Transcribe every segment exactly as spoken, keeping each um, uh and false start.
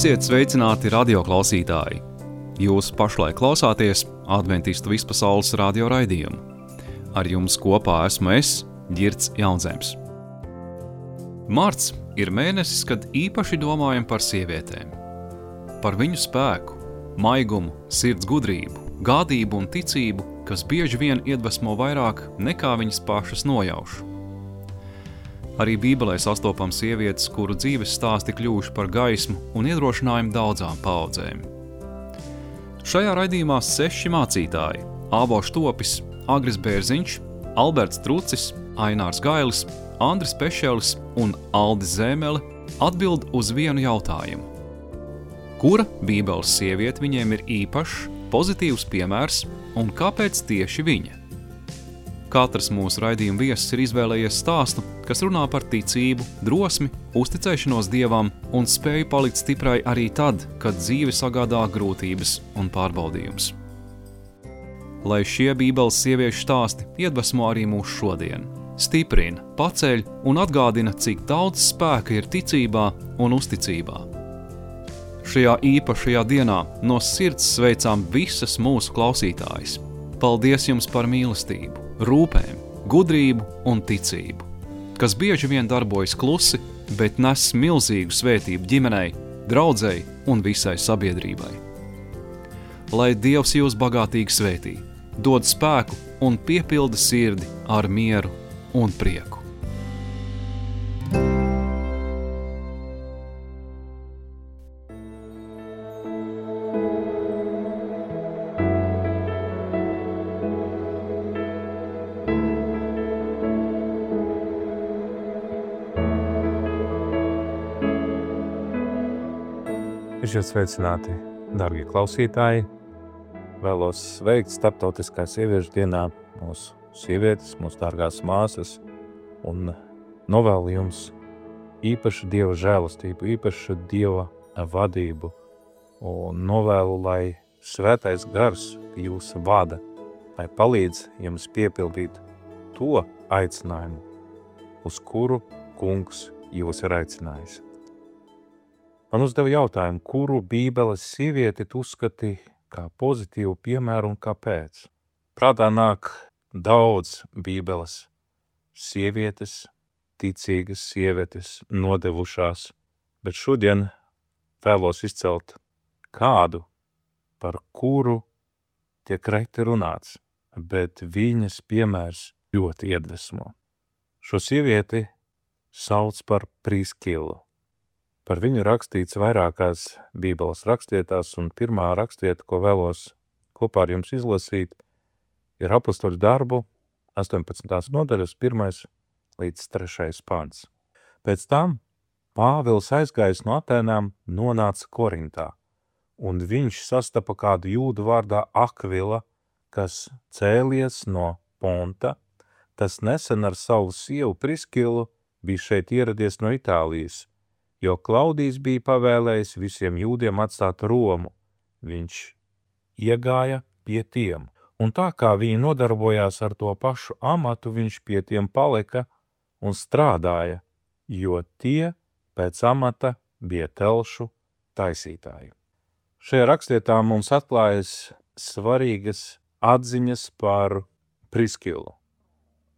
Esiet sveicināti radioklausītāji! Jūs pašlaik klausāties Adventistu vispasaules radio raidījumu. Ar jums kopā esmu es, Ģirds Jaunzems. Marts ir mēnesis, kad īpaši domājam par sievietēm. Par viņu spēku, maigumu, sirds gudrību, gādību un ticību, kas bieži vien iedvesmo vairāk nekā viņas pašas nojauš. Arī Bībelē sastopam sievietes, kuru dzīves stāsti kļuvuši par gaismu un iedrošinājumu daudzām paudzēm. Šajā raidījumā seši mācītāji – Ābols Topis, Agris Bērziņš, Alberts Trucis, Ainārs Gailis, Andris Pešelis un Aldis Zēmele atbild uz vienu jautājumu. Kura Bībeles sieviete viņiem ir īpašs, pozitīvs piemērs un kāpēc tieši viņa? Katrs mūsu raidījuma viesis ir izvēlējies stāstu, kas runā par ticību, drosmi, uzticēšanos Dievam un spēju palikt stiprai arī tad, kad dzīve sagādā grūtības un pārbaudījumus. Lai šie Bībeles sieviešu stāsti iedvesmo arī mūs šodien, stiprina, paceļ un atgādina, cik daudz spēka ir ticībā un uzticībā. Šajā īpašajā dienā no sirds sveicām visas mūsu klausītājas. Paldies jums par mīlestību, rūpēm, gudrību un ticību, kas bieži vien darbojas klusi, bet nes milzīgu svētību ģimenei, draudzei un visai sabiedrībai. Lai Dievs jūs bagātīgi svētī, dod spēku un piepilda sirdi ar mieru un prieku. Esiet sveicināti, darbie klausītāji! Vēlos sveikt Starptautiskā sieviešu dienā mūsu sievietes, mūsu dārgās māsas un novēlu jums īpašu Dieva žēlastību, īpašu Dieva vadību un novēlu, lai svētais gars jūs vada, lai palīdz jums piepildīt to aicinājumu, uz kuru kungs jūs ir aicinājis. Man uzdeva jautājumu, kuru Bībeles sievieti tu uzskati kā pozitīvu piemēru un kāpēc. Prātā nāk daudz Bībeles sievietes, ticīgas sievietes, nodevušās, bet šodien vēlos izcelt kādu, par kuru tiek reti runāts, bet viņas piemērs ļoti iedvesmo. Šo sievieti sauc par Priskilu. Par viņu rakstīts vairākās Bībeles rakstietās, un pirmā rakstieta, ko vēlos kopā ar jums izlasīt, ir Apostoļu darbu astoņpadsmitās nodaļas pirmais līdz trešais pants. Pēc tam Pāvils aizgājis no Atēnām nonāca Korintā, un viņš sastapa kādu jūdu vārdā Akvila, kas cēlies no Ponta. Tas nesen ar savu sievu Priskilu bija šeit ieradies no Itālijas, jo Klaudijs bija pavēlējis visiem jūdiem atstāt Romu. Viņš iegāja pie tiem, un tā kā viņi nodarbojās ar to pašu amatu, viņš pie tiem palika un strādāja, jo tie pēc amata bija telšu taisītāji. Šajā rakstietā mums atklājas svarīgas atziņas par Priskilu.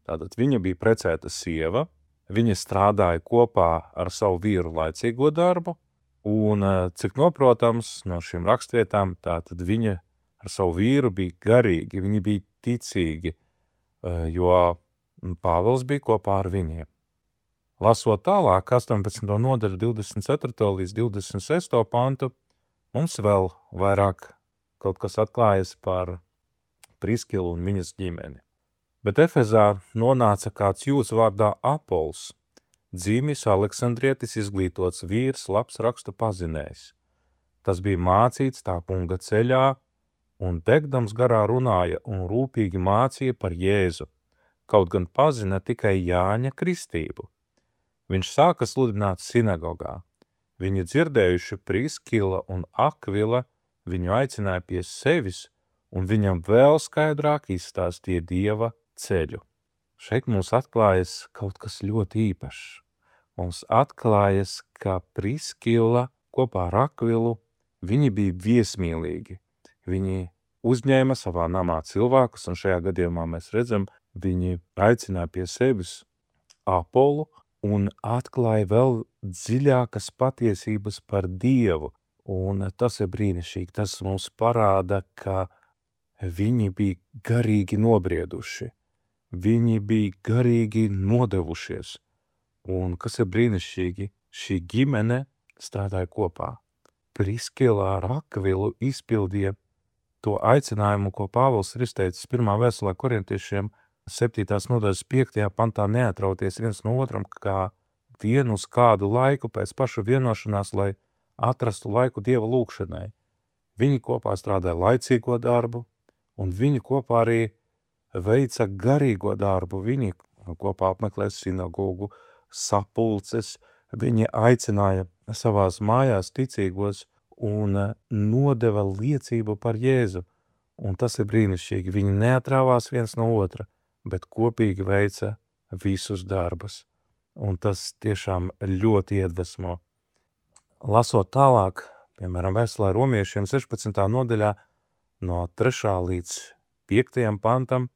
Tātad viņa bija precēta sieva, viņa strādāja kopā ar savu vīru laicīgo darbu, un, cik noprotams, no šīm rakstvietām, tātad viņa ar savu vīru bija garīgi, viņi bija ticīgi, jo Pāvils bija kopā ar viņiem. Lasot tālāk, astoņpadsmitā nodaļa divdesmit ceturto līdz divdesmit sesto pantu, mums vēl vairāk kaut kas atklājas par Priskilu un viņas ģimeni. Bet Efezā nonāca kāds jūds vārdā Apols, dzīmis Aleksandrietis, izglītots vīrs, labs rakstu pazinējs. Tas bija mācīts tā kunga ceļā, un degdams garā runāja un rūpīgi mācīja par Jēzu, kaut gan pazina tikai Jāņa kristību. Viņš sāka sludināt sinagogā. Viņi dzirdējuši Priskila un Akvila, viņu aicināja pie sevis, un viņam vēl skaidrāk izstāstīja Dieva ceļu. Šeit mums atklājas kaut kas ļoti īpašs. Mums atklājas, ka Priskila kopā ar Akvilu, viņi bija viesmīlīgi. Viņi uzņēma savā namā cilvēkus, un šajā gadījumā mēs redzam, viņi aicināja pie sevis Apolu un atklāja vēl dziļākas patiesības par Dievu. Un tas ir brīnišķīgi. Tas mums parāda, ka viņi bija garīgi nobrieduši. Viņi bija garīgi nodevušies. Un kas ir brīnišķīgi, šī ģimene strādāja kopā. Priskila ar Akvilu izpildīja to aicinājumu, ko Pāvils ir izteicis pirmā vēstulē korintiešiem septītās nodaļas piektajā pantā neatrauties viens no otram, kā vienu uz kādu laiku pēc paša vienošanās, lai atrastu laiku Dieva lūgšanai. Viņi kopā strādāja laicīgo darbu, un viņi kopā arī veica garīgo darbu. Viņi kopā apmeklē sinagogu, sapulces, viņi aicināja savās mājās ticīgos un nodeva liecību par Jēzu. Un tas ir brīnišķīgi. Viņi neatrāvās viens no otra, bet kopīgi veica visus darbus. Un tas tiešām ļoti iedvesmo. Lasot tālāk, piemēram, vēstulē romiešiem sešpadsmitā nodaļā no trešā līdz piektajam pantam,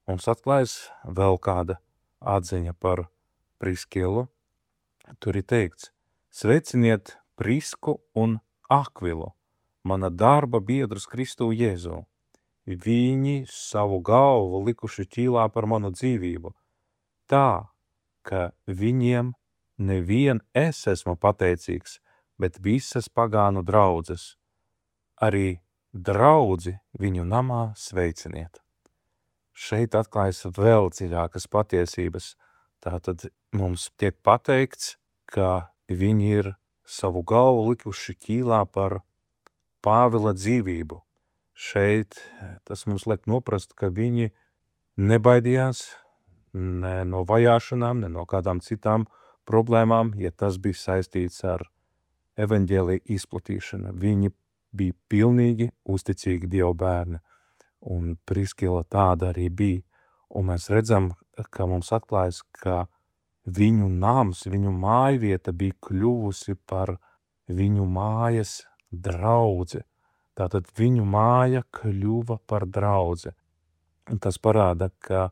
mums atklājas vēl kāda atziņa par Priskilu. Tur ir teikts: sveiciniet Prisku un Akvilu, mana darba biedrus Kristu Jēzu. Viņi savu galvu likuši ķīlā par manu dzīvību, tā, ka viņiem nevien es esmu pateicīgs, bet visas pagānu draudzes. Arī draudzi viņu namā sveiciniet. Šeit atklājas vēl dziļākas patiesības. Tātad mums tiek pateikts, ka viņi ir savu galvu likuši ķīlā par Pāvila dzīvību. Šeit tas mums liek noprast, ka viņi nebaidījās ne no vajāšanām, ne no kādām citām problēmām, ja tas bija saistīts ar evaņģēlija izplatīšanu. Viņi bija pilnīgi uzticīgi Dieva bērni, un Priskila tāda arī bija. Un mēs redzam, ka mums atklājas, ka viņu nams, viņu mājvieta bija kļuvusi par viņu mājas draudzi. Tātad viņu māja kļuva par draudzi. Un tas parāda, ka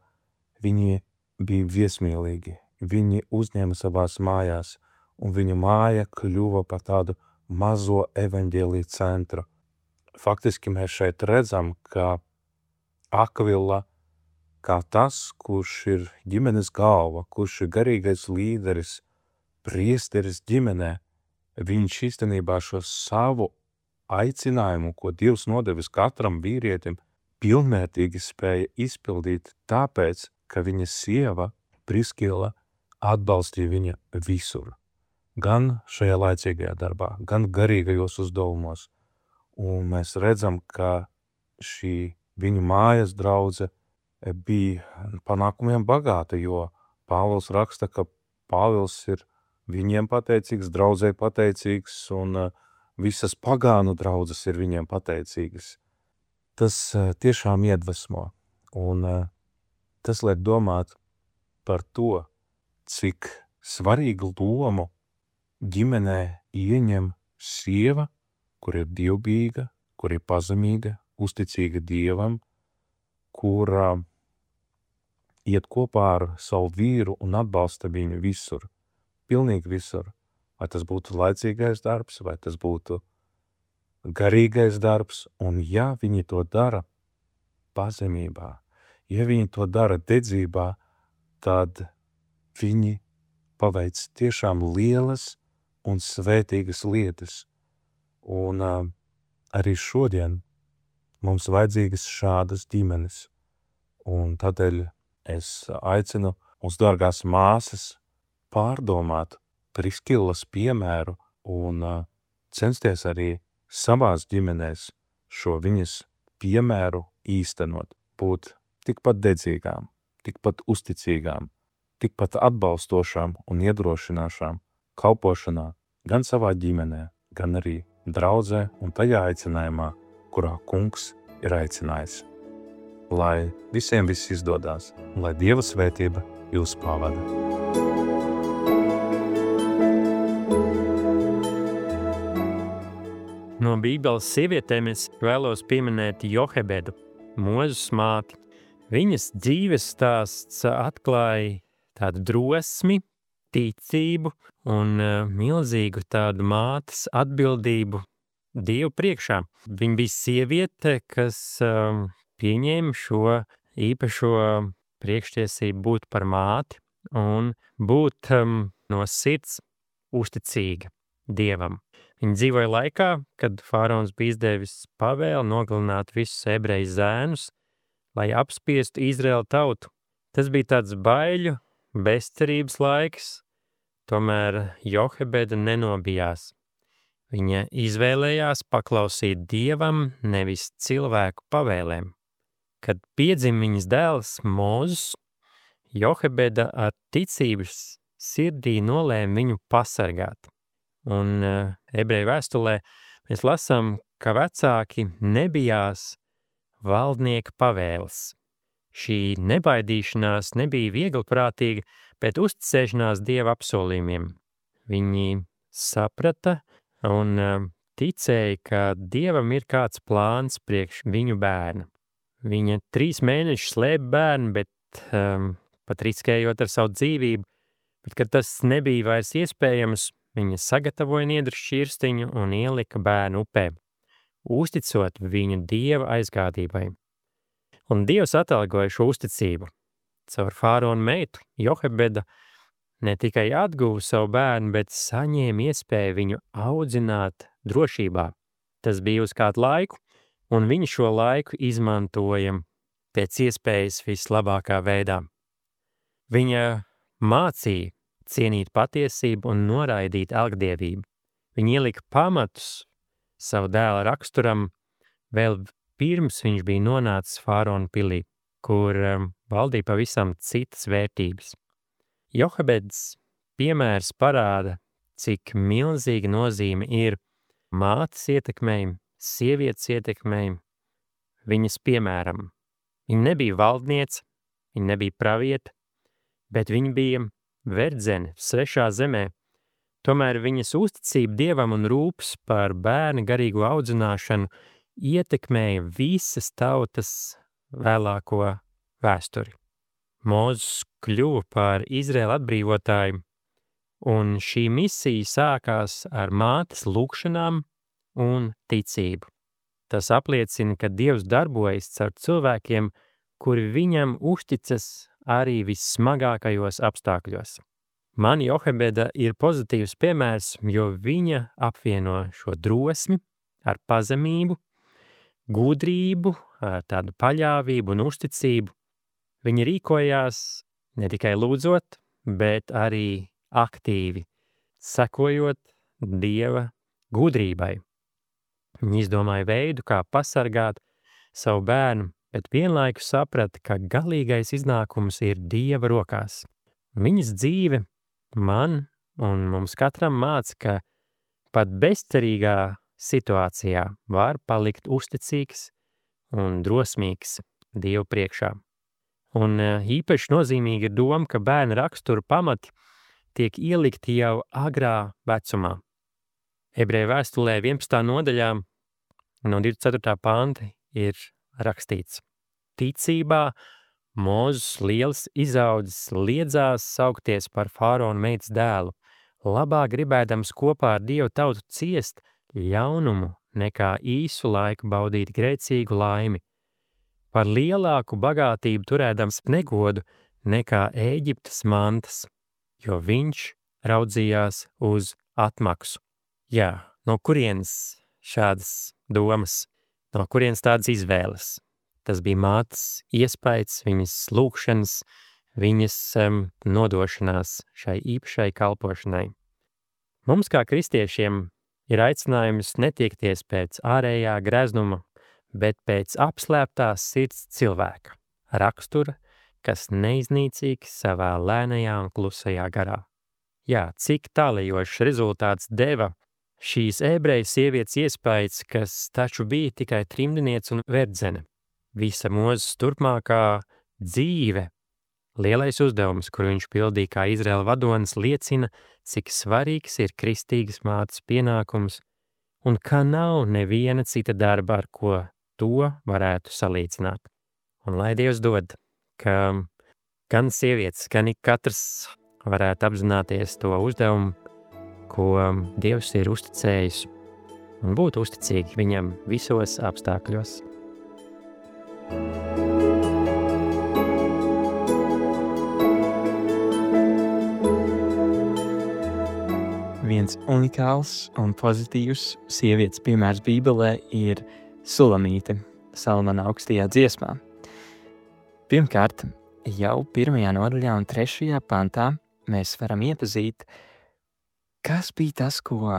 viņi bija viesmīlīgi. Viņi uzņēma savās mājās, un viņu māja kļuva par tādu mazo evaņģēlija centru. Faktiski mēs šeit redzam, ka Akvila, kā tas, kurš ir ģimenes galva, kurš ir garīgais līderis, priesteris ģimenē, viņš īstenībā šo savu aicinājumu, ko Dievs nodevis katram vīrietim, pilnvērtīgi spēja izpildīt tāpēc, ka viņa sieva, Priskila, atbalstīja viņa visur. Gan šajā laicīgajā darbā, gan garīgajos uzdevumos. Un mēs redzam, ka šī viņu mājas draudze bija panākumiem bagāta, jo Pāvils raksta, ka Pāvils ir viņiem pateicīgs, draudzei pateicīgs, un visas pagānu draudzes ir viņiem pateicīgas. Tas tiešām iedvesmo, un tas liek domāt par to, cik svarīgu lomu ģimenē ieņem sieva, kur ir dievbijīga, kur ir pazemīga, uzticīga Dievam, kura iet kopā ar savu vīru un atbalsta viņu visur, pilnīgi visur. Vai tas būtu laicīgais darbs, vai tas būtu garīgais darbs, un ja viņi to dara pazemībā, ja viņi to dara dedzībā, tad viņi paveic tiešām lielas un svētīgas lietas. Un uh, arī šodien mums vajadzīgas šādas ģimenes. Un tādēļ es aicinu mūsu dārgās māsas pārdomāt Priskilas piemēru un uh, censties arī savās ģimenēs šo viņas piemēru īstenot, būt tikpat dedzīgām, tikpat uzticīgām, tikpat atbalstošām un iedrošināšām kalpošanā gan savā ģimenē, gan arī draudzē un tajā aicinājumā, kurā Kungs ir aicinājis. Lai visiem viss izdodās, un lai Dieva svētība jūs pavada. No Bībeles sievietēm es vēlos pieminēt Johebedu, Mūzes māti. Viņas dzīves stāsts atklāja tādu drosmi, ticību un uh, milzīgu tādu mātes atbildību Dievu priekšā. Viņa bija sieviete, kas um, pieņēma šo īpašo priekštiesību būt par māti un būt um, no sirds uzticīga Dievam. Viņa dzīvoja laikā, kad faraons bija izdevis pavēli nogalināt visus ebreju zēnus, lai apspiestu Izraēlu tautu. Tas bija tāds baiļu, bezcerības laiks, tomēr Johebeda nenobijās. Viņa izvēlējās paklausīt Dievam, nevis cilvēku pavēlēm. Kad piedzima viņas dēls Mūzes, Johebeda ar ticības sirdī nolēma viņu pasargāt. Un uh, ebreju vēstulē mēs lasām, ka vecāki nebijās valdnieka pavēles. Šī nebaidīšanās nebija vieglprātīga, bet uzticēšanās Dieva apsolījumiem. Viņi saprata un uh, ticēja, ka Dievam ir kāds plāns priekš viņu bērna. Viņa trīs mēnešus slēpa bērnu, bet um, pat riskējot ar savu dzīvību, bet kad tas nebija vairs iespējams, viņa sagatavoja niedru šķirstiņu un ielika bērnu upē, uzticot viņu Dieva aizgādībai. Un Dievs atalgoja šo uzticību. Caur faraona meitu Johebeda ne tikai atguva savu bērnu, bet saņēma iespēju viņu audzināt drošībā. Tas bija uz kādu laiku, un viņa šo laiku izmantoja pēc iespējas vislabākā veidā. Viņa mācīja cienīt patiesību un noraidīt elgdievību. Viņa ielika pamatus savu dēla raksturam vēl pirms viņš bija nonācis faraona pilī, kur um, valdīja pavisam citas vērtības. Johebedas piemērs parāda, cik milzīga nozīme ir mātes ietekmei, sievietes ietekmei, viņas piemēram. Viņa nebija valdniece, viņa nebija pravieta, bet viņa bija verdzene svešā zemē. Tomēr viņas uzticība Dievam un rūpes par bērnu garīgo audzināšanu ietekmēja visas tautas vēlāko vēsturi. Mūzes kļuva par Izraēlu atbrīvotāju, un šī misija sākās ar mātes lūgšanām un ticību. Tas apliecina, ka Dievs darbojas caur cilvēkiem, kuri viņam uzticas arī vissmagākajos apstākļos. Man Johebeda ir pozitīvs piemērs, jo viņa apvieno šo drosmi ar pazemību, gudrību, ar tādu paļāvību un uzticību. Viņa rīkojās ne tikai lūdzot, bet arī aktīvi, sekojot Dieva gudrībai. Viņa izdomāja veidu, kā pasargāt savu bērnu, bet vienlaikus saprata, ka galīgais iznākums ir Dieva rokās. Viņas dzīve man un mums katram māca, ka pat bezcerīgā situācijā var palikt uzticīgs un drosmīgs Dievu priekšā. Un īpaši nozīmīgi ir doma, ka bērna rakstura pamati tiek ielikti jau agrā vecumā. Ebreju vēstulē vienpadsmitā nodaļā no divdesmit ceturtā panta ir rakstīts: ticībā Mūzes liels izaudzis liedzās saukties par faraona meitas dēlu, labāk gribēdams kopā ar Dievu tautu ciest ļaunumu nekā īsu laiku baudīt grēcīgu laimi, par lielāku bagātību turēdams negodu nekā Ēģiptes mantas, jo viņš raudzījās uz atmaksu. Jā, no kurienes šādas domas, no kurienes tādas izvēles? Tas bija mātes iespējas, viņas lūgšanas, viņas um, nodošanās šai īpašai kalpošanai. Mums kā kristiešiem ir aicinājums netiekties pēc ārējā greznuma, bet pēc apslēptās sirds cilvēka, rakstura, kas neiznīcīgs savā lēnajā un klusajā garā. Jā, cik tālajošs rezultāts deva šīs ebreju sievietes iespējas, kas taču bija tikai trimdiniece un verdzene. Visa Mūzes turpmākā dzīve, lielais uzdevums, kuru viņš pildīja kā Izraēla vadonis, liecina, cik svarīgs ir kristīgas mātes pienākums un ka nav neviena cita darba, ar ko to varētu salīdzināt. Un lai Dievs dod, ka gan sievietes, gan ik katrs varētu apzināties to uzdevumu, ko Dievs ir uzticējis, un būt uzticīgi viņam visos apstākļos. Viens unikāls un pozitīvs sievietes piemērs Bībelē ir Sulamīte Salamana augstajā dziesmā. Pirmkārt, jau pirmajā nodaļā un trešajā pantā mēs varam iepazīt, kas bija tas, ko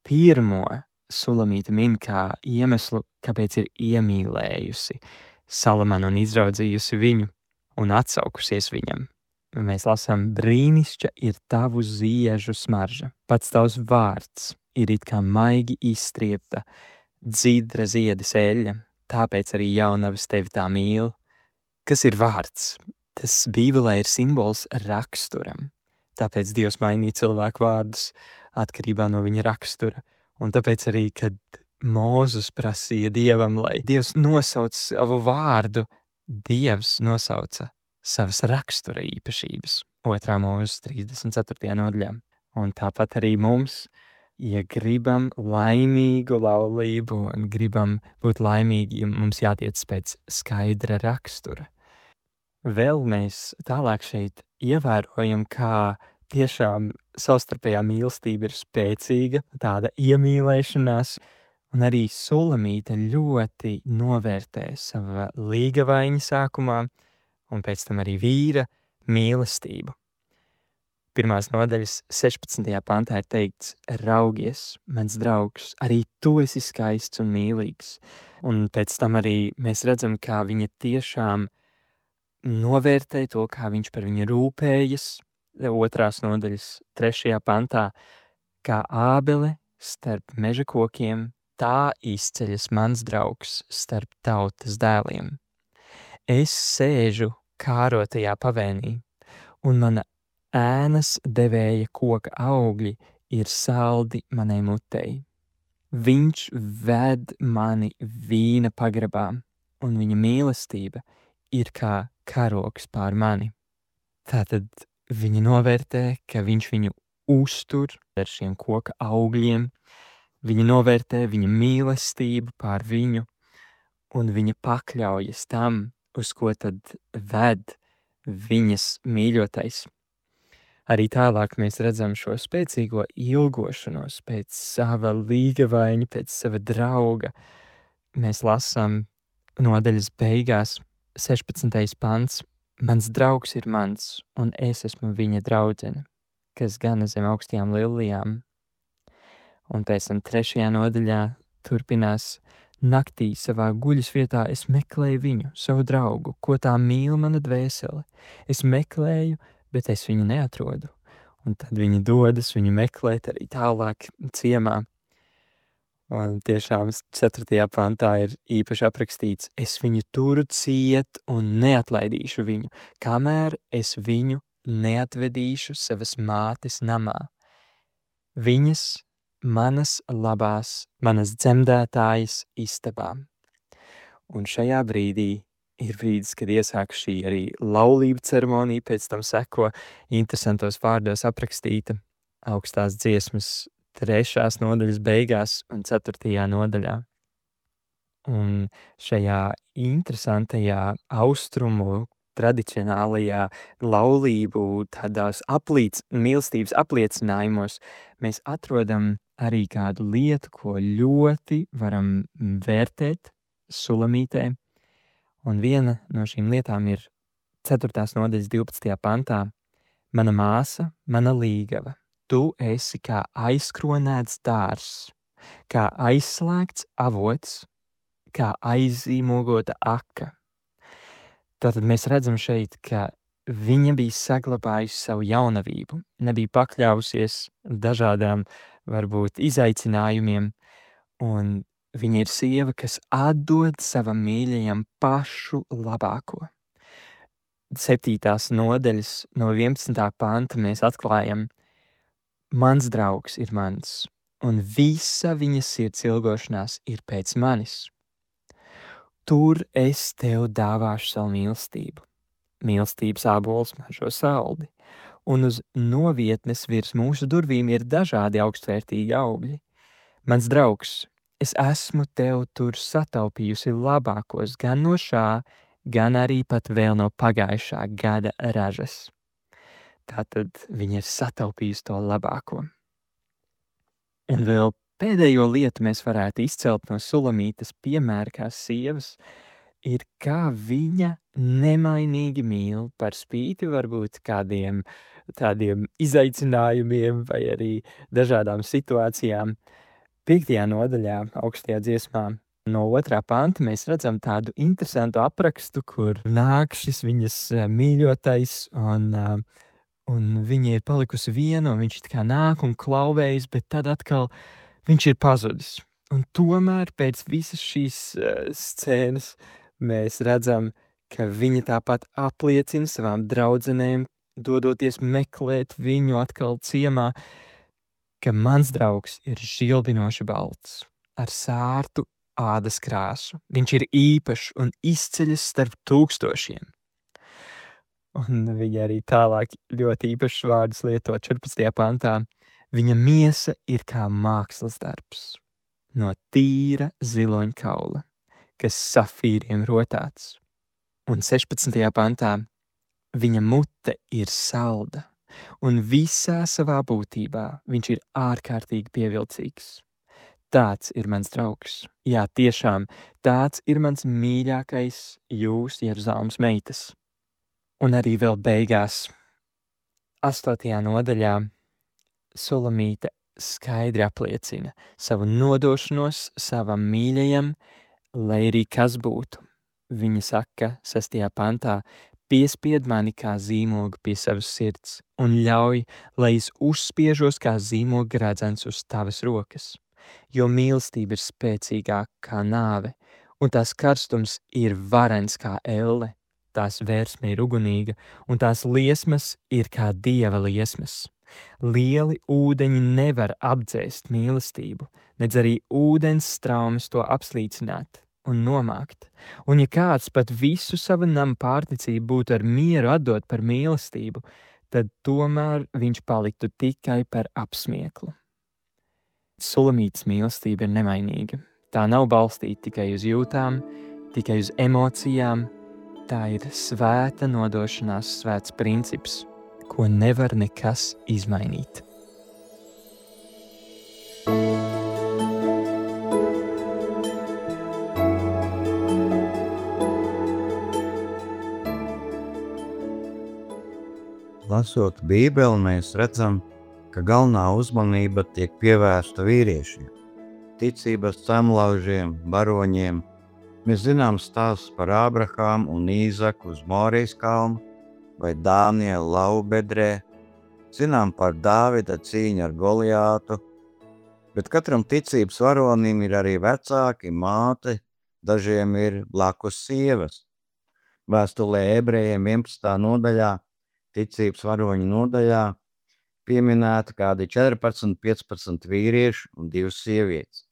pirmo Sulamīte min kā iemeslu, kāpēc ir iemīlējusi Salamanu un izraudzījusi viņu un atsaukusies viņam. Mēs lasām, brīnišķa ir tavu ziežu smarža. Pats tavs vārds ir it kā maigi izstriepta, dzidra ziedes eļļa, tāpēc arī jaunavas tevi tā mīl. Kas ir vārds? Tas Bībelē ir simbols raksturam. Tāpēc Dievs mainīja cilvēku vārdus atkarībā no viņa rakstura. Un tāpēc arī, kad Mūzes prasīja Dievam, lai Dievs nosauc savu vārdu, Dievs nosauca savas rakstura īpašības. Otrā Mūzes trīsdesmit ceturtajā nodaļā. Un tāpat arī mums, ja gribam laimīgu laulību un gribam būt laimīgi, mums jātiec pēc skaidra rakstura. Vēl mēs tālāk šeit ievērojam, kā tiešām savstarpējā mīlestība ir spēcīga, tāda iemīlēšanās, un arī Sulamīte ļoti novērtē sava līgavaiņa sākumā, un pēc tam arī vīra mīlestību. Pirmās nodaļas sešpadsmitajā pantā ir teikts, raugies, mans draugs, arī tu esi skaists un mīlīgs. Un pēc tam arī mēs redzam, kā viņa tiešām novērtē to, kā viņš par viņu rūpējas. Otrās nodaļas trešajā pantā, kā ābele starp meža kokiem, tā izceļas mans draugs starp tautas dēliem. Es sēžu kārotajā pavēnī, un mana ēnas devēja koka augļi ir saldi manai mutei. Viņš ved mani vīna pagrabā, un viņa mīlestība ir kā karoks pār mani. Tātad viņa novērtē, ka viņš viņu uztur ar šiem koka augļiem, viņa novērtē viņa mīlestību pār viņu, un viņa pakļaujas tam, uz ko tad ved viņas mīļotais. Arī tālāk mēs redzam šo spēcīgo ilgošanos pēc sava līgavaiņa, pēc sava drauga. Mēs lasām nodaļas beigās sešpadsmitais pants. Mans draugs ir mans, un es esmu viņa draudzene, kas gana zem augstajām lilijām. Un pēc tam trešajā nodaļā turpinās, naktī savā guļas vietā es meklēju viņu, savu draugu, ko tā mīl mana dvēsele. Es meklēju, bet es viņu neatrodu. Un tad viņi dodas viņu meklēt arī tālāk ciemā. Un tiešām ceturtajā pantā ir īpaši aprakstīts, es viņu turu ciet un neatlaidīšu viņu, kamēr es viņu neatvedīšu savas mātes namā. Viņas manas labās, manas dzemdētājas istabā. Un šajā brīdī ir brīdis, kad iesāk šī arī laulība ceremonija, pēc tam seko interesantos vārdos aprakstīta augstās dziesmas trešās nodaļas beigās un ceturtajā nodaļā. Un šajā interesantajā austrumu tradicionālajā laulību tādās aplīc, mīlestības apliecinājumos mēs atrodam arī kādu lietu, ko ļoti varam vērtēt Sulamītē. Un viena no šīm lietām ir ceturtās nodaļas divpadsmitajā pantā. Mana māsa, mana līgava, tu esi kā aizkronēts dārzs, kā aizslēgts avots, kā aizīmogota aka. Tātad mēs redzam šeit, ka viņa bija saglabājusi savu jaunavību, nebija pakļausies dažādām, varbūt, izaicinājumiem, un viņa ir sieva, kas atdod savam mīļajam pašu labāko. Septītās nodaļas no vienpadsmitā panta mēs atklājam, mans draugs ir mans, un visa viņa sirds ilgošanās ir pēc manis. Tur es tev dāvāšu savu mīlestību. Mīlestības ābols mažo saldi, un uz novietnes virs mūsu durvīm ir dažādi augstvērtīgi augļi. Mans draugs, es esmu tev tur sataupījusi labākos gan no šā, gan arī pat vēl no pagājušā gada ražas. Tātad viņa ir sataupījusi to labāko. Un vēl pēdējo lietu mēs varētu izcelt no Sulamītes piemēra kā sievas, ir kā viņa nemainīgi mīl par spīti varbūt kādiem tādiem izaicinājumiem vai arī dažādām situācijām. Piektajā nodaļā, augstajā dziesmā, no otrā panta mēs redzam tādu interesantu aprakstu, kur nāk šis viņas mīļotais un, un viņa ir palikusi viena, un viņš tā kā nāk un klauvējas, bet tad atkal viņš ir pazudis. Un tomēr pēc visas šīs uh, scēnas mēs redzam, ka viņa tāpat apliecina savām draudzenēm, dodoties meklēt viņu atkal ciemā, ka mans draugs ir žilbinoši balts, ar sārtu ādas krāsu. Viņš ir īpašs un izceļas starp tūkstošiem. Un viņa arī tālāk ļoti īpašs vārdus lieto četrpadsmitajā pantā. Viņa miesa ir kā mākslas darbs no tīra ziloņkaula, kas safīriem rotāts. Un sešpadsmitajā pantā viņa mute ir salda, un visā savā būtībā viņš ir ārkārtīgi pievilcīgs. Tāds ir mans draugs. Jā, tiešām, tāds ir mans mīļākais jūs, Jeruzalemes meitas. Un arī vēl beigās, astotajā nodaļā, Sulamīte skaidri apliecina savu nodošanos savam mīļajam, lai arī kas būtu. Viņa saka, sestajā pantā, piespied mani kā zīmogu pie savas sirds un ļauj, lai es uzspiežos kā zīmoga redzens uz tavas rokas, jo mīlestība ir spēcīgāka kā nāve, un tās karstums ir varens kā elle, tās vērsme ir ugunīga, un tās liesmas ir kā dieva liesmas. Lieli ūdeņi nevar apdzēst mīlestību, nedz arī ūdens straumes to apslīcināt un nomākt. Un ja kāds pat visu savu namu pārticību būtu ar mieru atdot par mīlestību, tad tomēr viņš paliktu tikai par apsmieklu. Sulamītes mīlestība ir nemainīga. Tā nav balstīta tikai uz jūtām, tikai uz emocijām. Tā ir svēta nodošanās, svēts princips, ko nevar nekas izmainīt. Lasot Bībeli, mēs redzam, ka galvenā uzmanība tiek pievērsta vīriešiem, ticības cemlaužiem, baroņiem. Mēs zinām stāstus par Ābrahāmu un Īzaku uz Morijas kalnu vai Dānielu laubedrē, zinām par Dāvida cīņu ar Goliātu, bet katram ticības varonim ir arī vecāki, māte, dažiem ir blakus sievas. Vēstulē Ebrejiem vienpadsmitajā nodaļā, ticības varoņu nodaļā, pieminēta kādi četrpadsmit, piecpadsmit vīrieši un divas sievietes.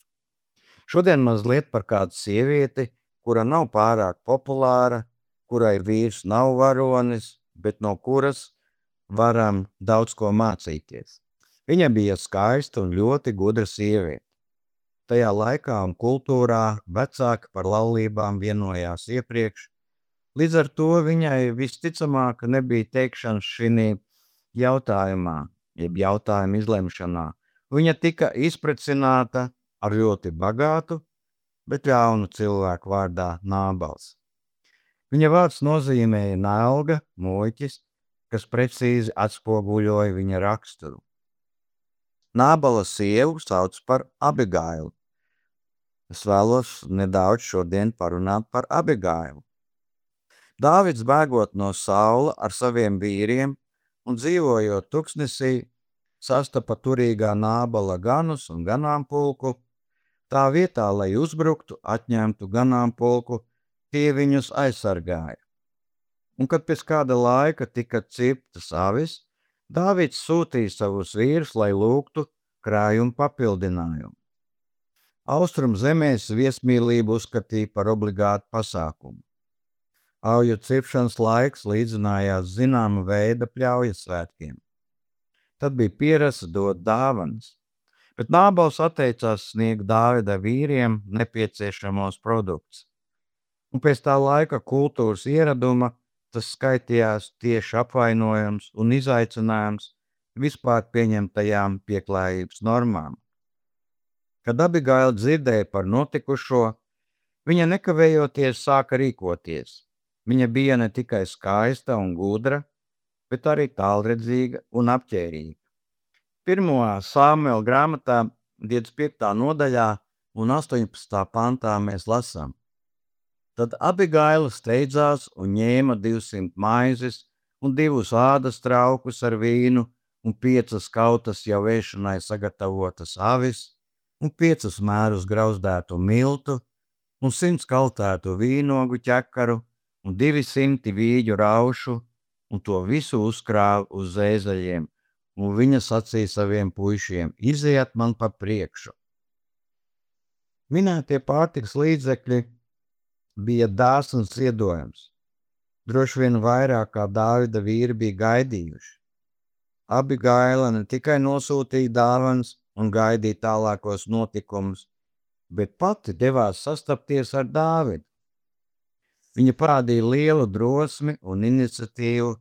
Šodien mazliet par kādu sievieti, kura nav pārāk populāra, kurai vīrs nav varonis, bet no kuras varam daudz ko mācīties. Viņa bija skaista un ļoti gudra sieviete. Tajā laikā un kultūrā vecāki par laulībām vienojās iepriekš, līdz ar to viņai visticamāk nebija teikšanas šī jautājumā, jeb jautājuma izlemšanā. Viņa tika izprecināta ar ļoti bagātu, bet ļaunu cilvēku vārdā Nābals. Viņa vārds nozīmēja nelga, muļķis, kas precīzi atspoguļoja viņa raksturu. Nābala sievu sauc par Abigailu. Es vēlos nedaudz šodien parunāt par Abigailu. Dāvids bēgot no Saula ar saviem vīriem un dzīvojot tuksnesī, sastapa turīgā Nābala ganus un ganāmpulku. Tā vietā, lai uzbruktu, atņemtu ganāmpulku, tie viņus aizsargāja. Un kad pēc kāda laika tika cirptas avis, Dāvids sūtīja savus vīrus, lai lūgtu, krājuma papildinājumu. Austrum zemēs viesmīlību uzskatīja par obligātu pasākumu. Auju cirpšanas laiks līdzinājās zināma veida pļaujas svētkiem. Tad bija pierasta dot dāvanas, bet Nābals atteicās sniegt Dāvida vīriem nepieciešamos produktus. Un pēc tā laika kultūras ieraduma tas skaitījās tieši apvainojums un izaicinājums vispār pieņemtajām pieklājības normām. Kad Abigaila dzirdēja par notikušo, viņa nekavējoties sāka rīkoties. Viņa bija ne tikai skaista un gudra, bet arī tālredzīga un apķērīga. Pirmo Samuela grāmatā divdesmit piektā nodaļā un astoņpadsmitā pantā mēs lasām. Tad Abigaila steidzās un ņēma divsimt maizes un divus ādas traukus ar vīnu un piecas kautas jau ēšanai sagatavotas avis un piecus mērus grauzdētu miltu un simts kaltētu vīnogu ķekaru un divi simti vīģu raušu un to visu uzkrāva uz ēzeļiem, un viņa sacīja saviem puišiem: iziet man pa priekšu. Minētie pārtikas līdzekļi bija dāsns ziedojums. Droši vien vairāk kā Dāvida vīri bija gaidījuši. Abigaila ne tikai nosūtīja dāvanas un gaidīja tālākos notikumus, bet pati devās sastapties ar Dāvidu. Viņa parādīja lielu drosmi un iniciatīvu,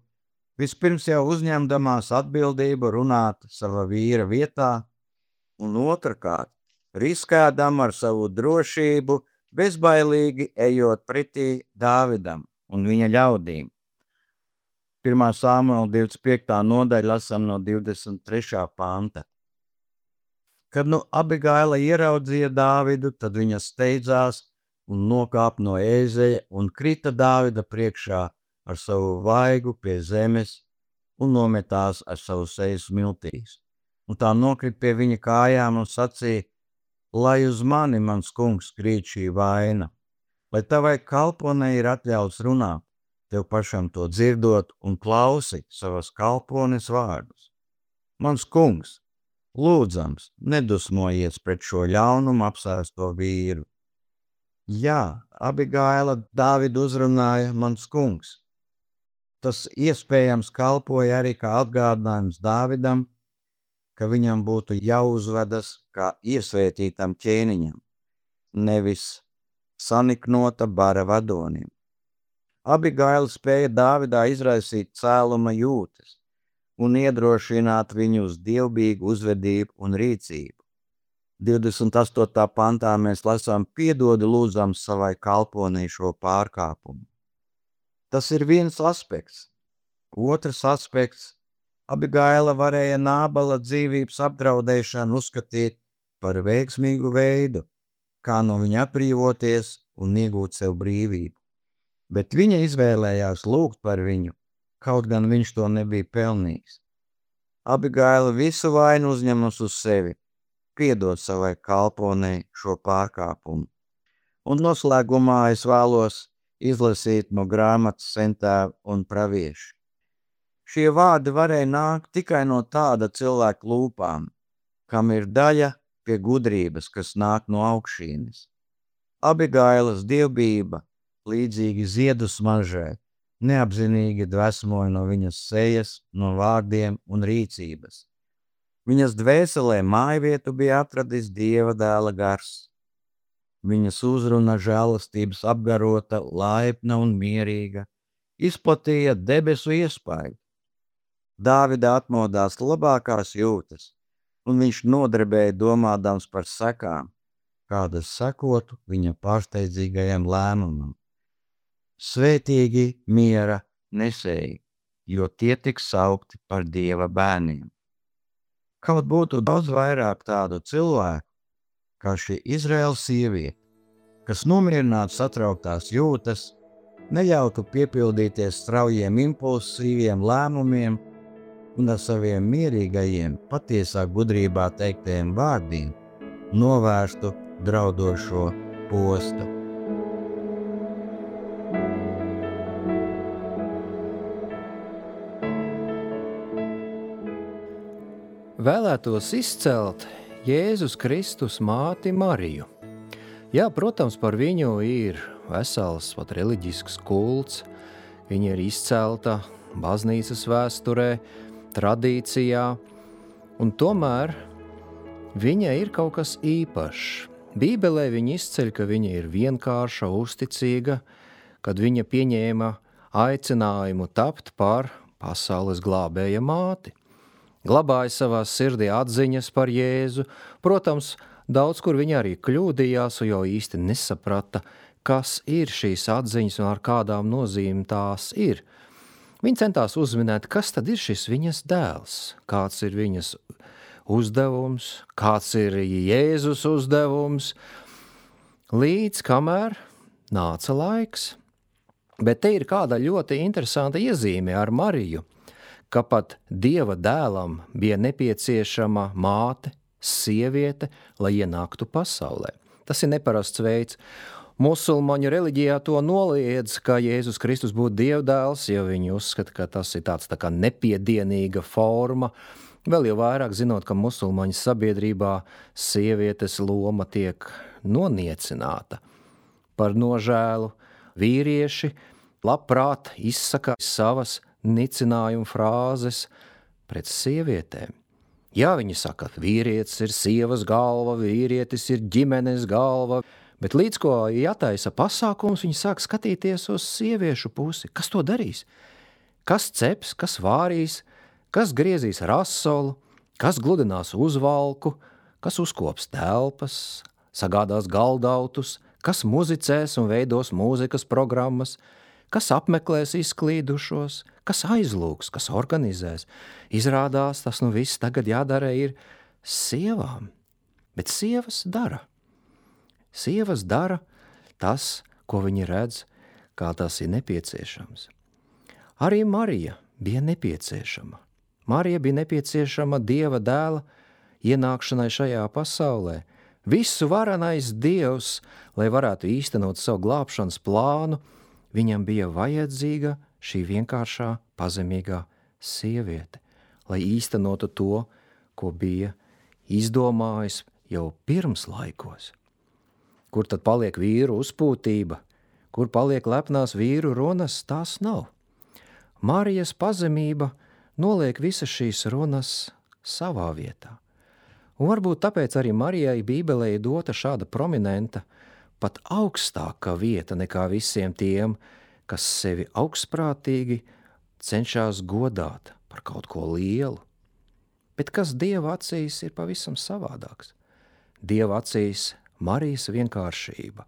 vispirms jau uzņemdamās atbildību runāt sava vīra vietā, un otrkārt, riskēdama ar savu drošību, bezbailīgi ejot pretī Dāvidam un viņa ļaudīm. Pirmā Samuela divdesmit piektā nodaļa lasām no divdesmit trešā panta. Kad nu Abigaila ieraudzīja Dāvidu, tad viņa steidzās un nokāpa no ēzeļa un krita Dāvida priekšā ar savu vaigu pie zemes un nometās ar savu sejas miltīs. Un tā nokrit pie viņa kājām un sacīja: lai uz mani, mans kungs, krīt šī vaina, lai tavai kalponei ir atļauts runāt, tev pašam to dzirdot un klausi savas kalpones vārdus. Mans kungs, lūdzams, nedusmojies pret šo ļaunumu apsēsto vīru. Jā, Abigaila Dāvidu uzrunāja mans kungs. Tas iespējams kalpoja arī kā atgādinājums Dāvidam, ka viņam būtu jāuzvedas kā iesvētītam ķēniņam, nevis saniknota bara vadonim. Abigaila spēja Dāvidā izraisīt cēluma jūtas un iedrošināt viņu uz dievbijīgu uzvedību un rīcību. divdesmit astotā pantā mēs lasām: piedodi lūdzam savai kalponei šo pārkāpumu. Tas ir viens aspekts. Otrs aspekts: Abigaila varēja Nābala dzīvības apdraudēšanu uzskatīt par veiksmīgu veidu, kā no viņa atbrīvoties un iegūt sev brīvību. Bet viņa izvēlējās lūgt par viņu, kaut gan viņš to nebija pelnījis. Abigaila visu vainu uzņemas uz sevi, piedod savai kalponei šo pārkāpumu. Un noslēgumā es vēlos izlasīt no grāmatas Sentēva un pravieši. Šie vārdi varēja nākt tikai no tāda cilvēka lūpām, kam ir daļa pie gudrības, kas nāk no augšīnes. Abigailas dievbijība, līdzīgi ziedu smaržai, neapzinīgi dvesmoja no viņas sejas, no vārdiem un rīcības. Viņas dvēselē mājvietu bija atradis Dieva dēla gars. Viņas uzruna žēlastības apgarota, laipna un mierīga, izplatīja debesu iespaidu. Dāvida atmodās labākās jūtas, un viņš nodarbēja domādams par sekām, kādas sekotu viņa pārsteidzīgajam lēmumam. Svētīgi miera nesēji, jo tie tiks saukti par Dieva bērniem. Kaut būtu daudz vairāk tādu cilvēku, kā šī Izraēlas sieviete, kas nomierinātu satrauktās jūtas, neļautu piepildīties straujiem impulsīviem lēmumiem un ar saviem mierīgajiem, patiesā gudrībā teiktajiem vārdiem novērstu draudošo postu. vēlētos izcelt Jēzus Kristus māti Mariju. Jā, protams, par viņu ir vesels pat reliģisks kults. Viņa ir izcelta baznīcas vēsturē, tradīcijā, un tomēr viņa ir kaut kas īpašs. Bībelē viņa izceļ, ka viņa ir vienkārša, uzticīga, kad viņa pieņēma aicinājumu tapt par pasaules glābēja māti. Glabāja savā sirdī atziņas par Jēzu. Protams, daudz kur viņa arī kļūdījās, jo īsti nesaprata, kas ir šīs atziņas un ar kādām nozīmēm tās ir. Viņa centās uzminēt, kas tad ir šis viņas dēls, kāds ir viņas uzdevums, kāds ir Jēzus uzdevums, līdz kamēr nāca laiks. Bet te ir kāda ļoti interesanta iezīme ar Mariju, ka pat Dieva dēlam bija nepieciešama māte, sieviete, lai ienāktu pasaulē. Tas ir neparasts veids. Musulmaņu reliģijā to noliedz, ka Jēzus Kristus būtu Dieva dēls, jo viņi uzskata, ka tas ir tāds tā kā nepiedienīga forma. Vēl jau vairāk zinot, ka musulmaņu sabiedrībā sievietes loma tiek noniecināta. Par nožēlu vīrieši labprāt izsaka savas nicinājuma frāzes pret sievietēm. Jā, viņi saka, vīrietis ir sievas galva, vīrietis ir ģimenes galva, bet līdz ko jātaisa pasākums, viņi sāk skatīties uz sieviešu pusi. Kas to darīs? Kas ceps, kas vārīs, kas griezīs rasolu, kas gludinās uzvalku, kas uzkops telpas, sagādās galdautus, kas muzicēs un veidos mūzikas programmas, kas apmeklēs izklīdušos, kas aizlūgs, kas organizēs. Izrādās, tas nu viss tagad jādara ir sievām, bet sievas dara. Sievas dara tas, ko viņi redz, kā tas ir nepieciešams. Arī Marija bija nepieciešama. Marija bija nepieciešama Dieva dēla ienākšanai šajā pasaulē. Visu varenais Dievs, lai varētu īstenot savu glābšanas plānu, viņam bija vajadzīga šī vienkāršā, pazemīgā sieviete, lai īstenotu to, ko bija izdomājis jau pirms laikos. Kur tad paliek vīru uzpūtība, kur paliek lepnās vīru runas, tās nav. Marijas pazemība noliek visas šīs runas savā vietā. Un varbūt tāpēc arī Marijai Bībelē ir dota šāda prominenta, pat augstāka vieta nekā visiem tiem, kas sevi augstprātīgi cenšas godāt par kaut ko lielu. Bet kas Dieva acīs ir pavisam savādāks. Dieva acīs Marijas vienkāršība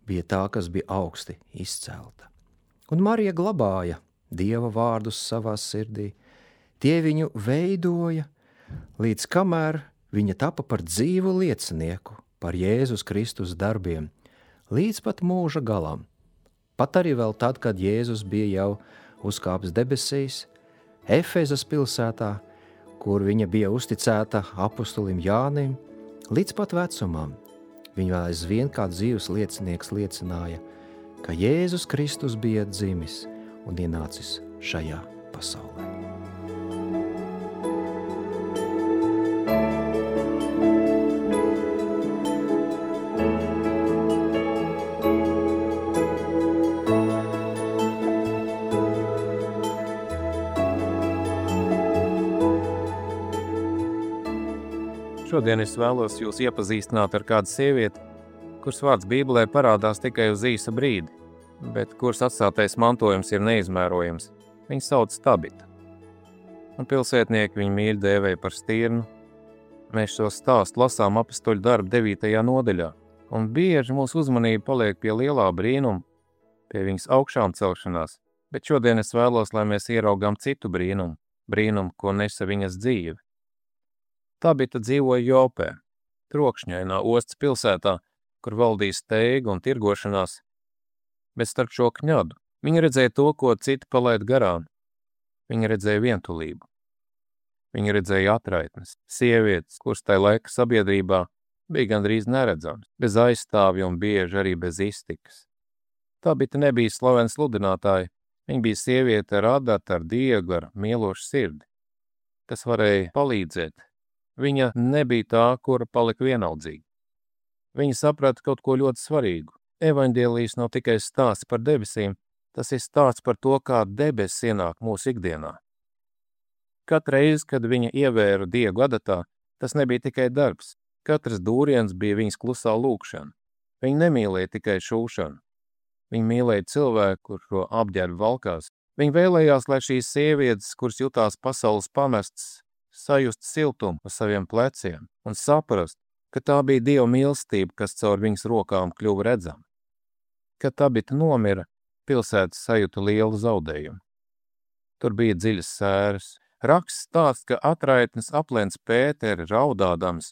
bija tā, kas bija augsti izcelta. Un Marija glabāja Dieva vārdus savā sirdī. Tie viņu veidoja, līdz kamēr viņa tapa par dzīvu liecinieku par Jēzus Kristus darbiem, līdz pat mūža galam. Pat arī vēl tad, kad Jēzus bija jau uzkāpis debesīs, Efezas pilsētā, kur viņa bija uzticēta apostolim Jānim, līdz pat vecumam. Viņa aizvien kā dzīvs liecinieks liecināja, ka Jēzus Kristus bija dzimis un ienācis šajā pasaulē. Šodien es vēlos jūs iepazīstināt ar kādu sievieti, kuras vārds Bībelē parādās tikai uz īsa brīdi, bet kuras atstātais mantojums ir neizmērojams. Viņa sauc Tabita. Un pilsētnieki viņu mīļi dēvēja par stirnu. Mēs šo stāstu lasām apostoļu darbu devītajā nodaļā, un bieži mūsu uzmanība paliek pie lielā brīnuma, pie viņas augšām celšanās, bet šodien es vēlos, lai mēs ieraugām citu brīnumu, brīnumu, ko nesa viņas dzīve. Tabita dzīvoja Jopē, trokšņainā ostas pilsētā, kur valdīja steiga un tirgošanās, bet starp šo kņadu viņa redzēja to, ko citi palaid garām. Viņa redzēja vientulību. Viņa redzēja atraitnes, sievietes, kuras tai laika sabiedrībā bija gandrīz neredzams, bez aizstāvja un bieži arī bez iztikas. Tabita nebija slavena sludinātāja, viņa bija sieviete ar adatu, ar dieglu, ar mīlošu sirdi, kas varēja palīdzēt Viņa nebija tā, kura palika vienaldzīga. Viņa saprata kaut ko ļoti svarīgu. Evaņģēlijs nav tikai stāsts par debesīm, tas ir stāsts par to, kā debesis ienāk mūsu ikdienā. Katru reizi, kad viņa ievēra Diegu adatā, tas nebija tikai darbs. Katrs dūriens bija viņas klusā lūkšana. Viņa nemīlēja tikai šūšanu. Viņa mīlēja cilvēku, kur šo apģērbu valkās. Viņa vēlējās, lai šīs sievietes, kuras jutās pasaules pamestas, sajust siltumu uz saviem pleciem un saprast, ka tā bija Dieva mīlestība, kas caur viņas rokām kļuva redzama. Kad Tabita nomira, pilsēta sajuta lielu zaudējumu. Tur bija dziļas sēras. Raksts stāsts, ka atraitnes aplēns Pēteri raudādams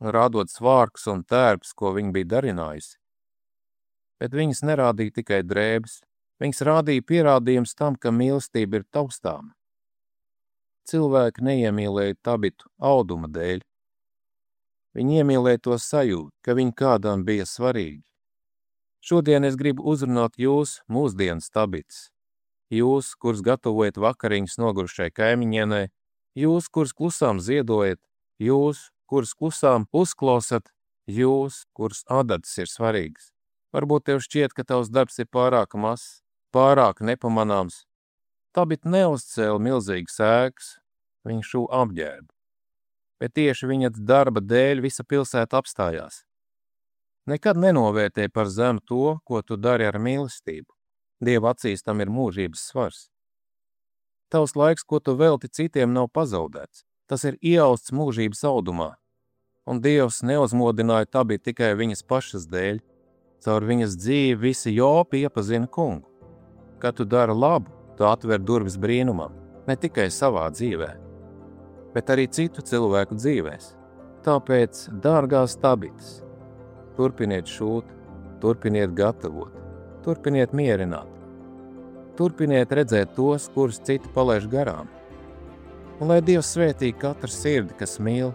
un rādot svārkus un tērps, ko viņa bija darinājusi. Bet viņas nerādīja tikai drēbes. Viņas rādīja pierādījums tam, ka mīlestība ir taustāma. Cilvēki neiemīlēja Tabitu auduma dēļ. Viņi iemīlēja to sajūtu, ka viņi kādam bija svarīgi. Šodien es gribu uzrunāt jūs mūsdienas Tabitas. Jūs, kurs gatavojat vakariņas nogurušai kaimiņienai, jūs, kurs klusām ziedojat, jūs, kurs klusām uzklausat, jūs, kurs adatas ir svarīgas. Varbūt tev šķiet, ka tavs darbs ir pārāk mazs, pārāk nepamanāms. Tabita neuzcēla milzīgas ēkas, viņa šūva apģērbu. Bet tieši viņa darba dēļ visa pilsēta apstājās. Nekad nenovērtē par zemu to, ko tu dari ar mīlestību. Dieva acīs tam ir mūžības svars. Tavs laiks, ko tu velti citiem, nav pazaudēts. Tas ir iausts mūžības audumā. Un Dievs neuzmodināja Tabitu tikai viņas pašas dēļ. Caur viņas dzīvi visi jopi iepazina kungu. Kad tu dari labu, tu atver durvis brīnumam, ne tikai savā dzīvē, bet arī citu cilvēku dzīvēs. Tāpēc, dārgās Tabitas, turpiniet šūt, turpiniet gatavot, turpiniet mierināt, turpiniet redzēt tos, kurus citi palaiž garām. Un lai Dievs svētī katru sirdi, kas mīl,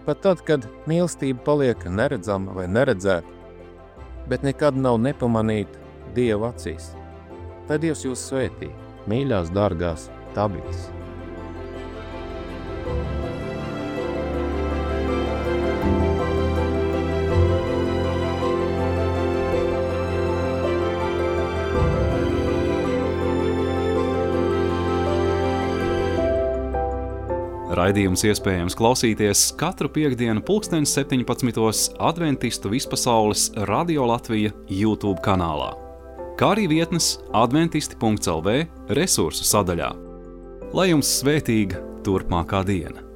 pat tad, kad mīlestība paliek neredzama vai neredzēta, bet nekad nav nepamanīta Dieva acīs. Lai Dievs jūs svētī, mīļās, dārgās Tabitas. Raidījums iespējams klausīties katru piektdienu pulksten septiņpadsmitos Adventistu vispasaules Radio Latvija YouTube kanālā, kā arī vietnes adventisti punkts el vē resursu sadaļā. Lai jums svētīga turpmākā diena!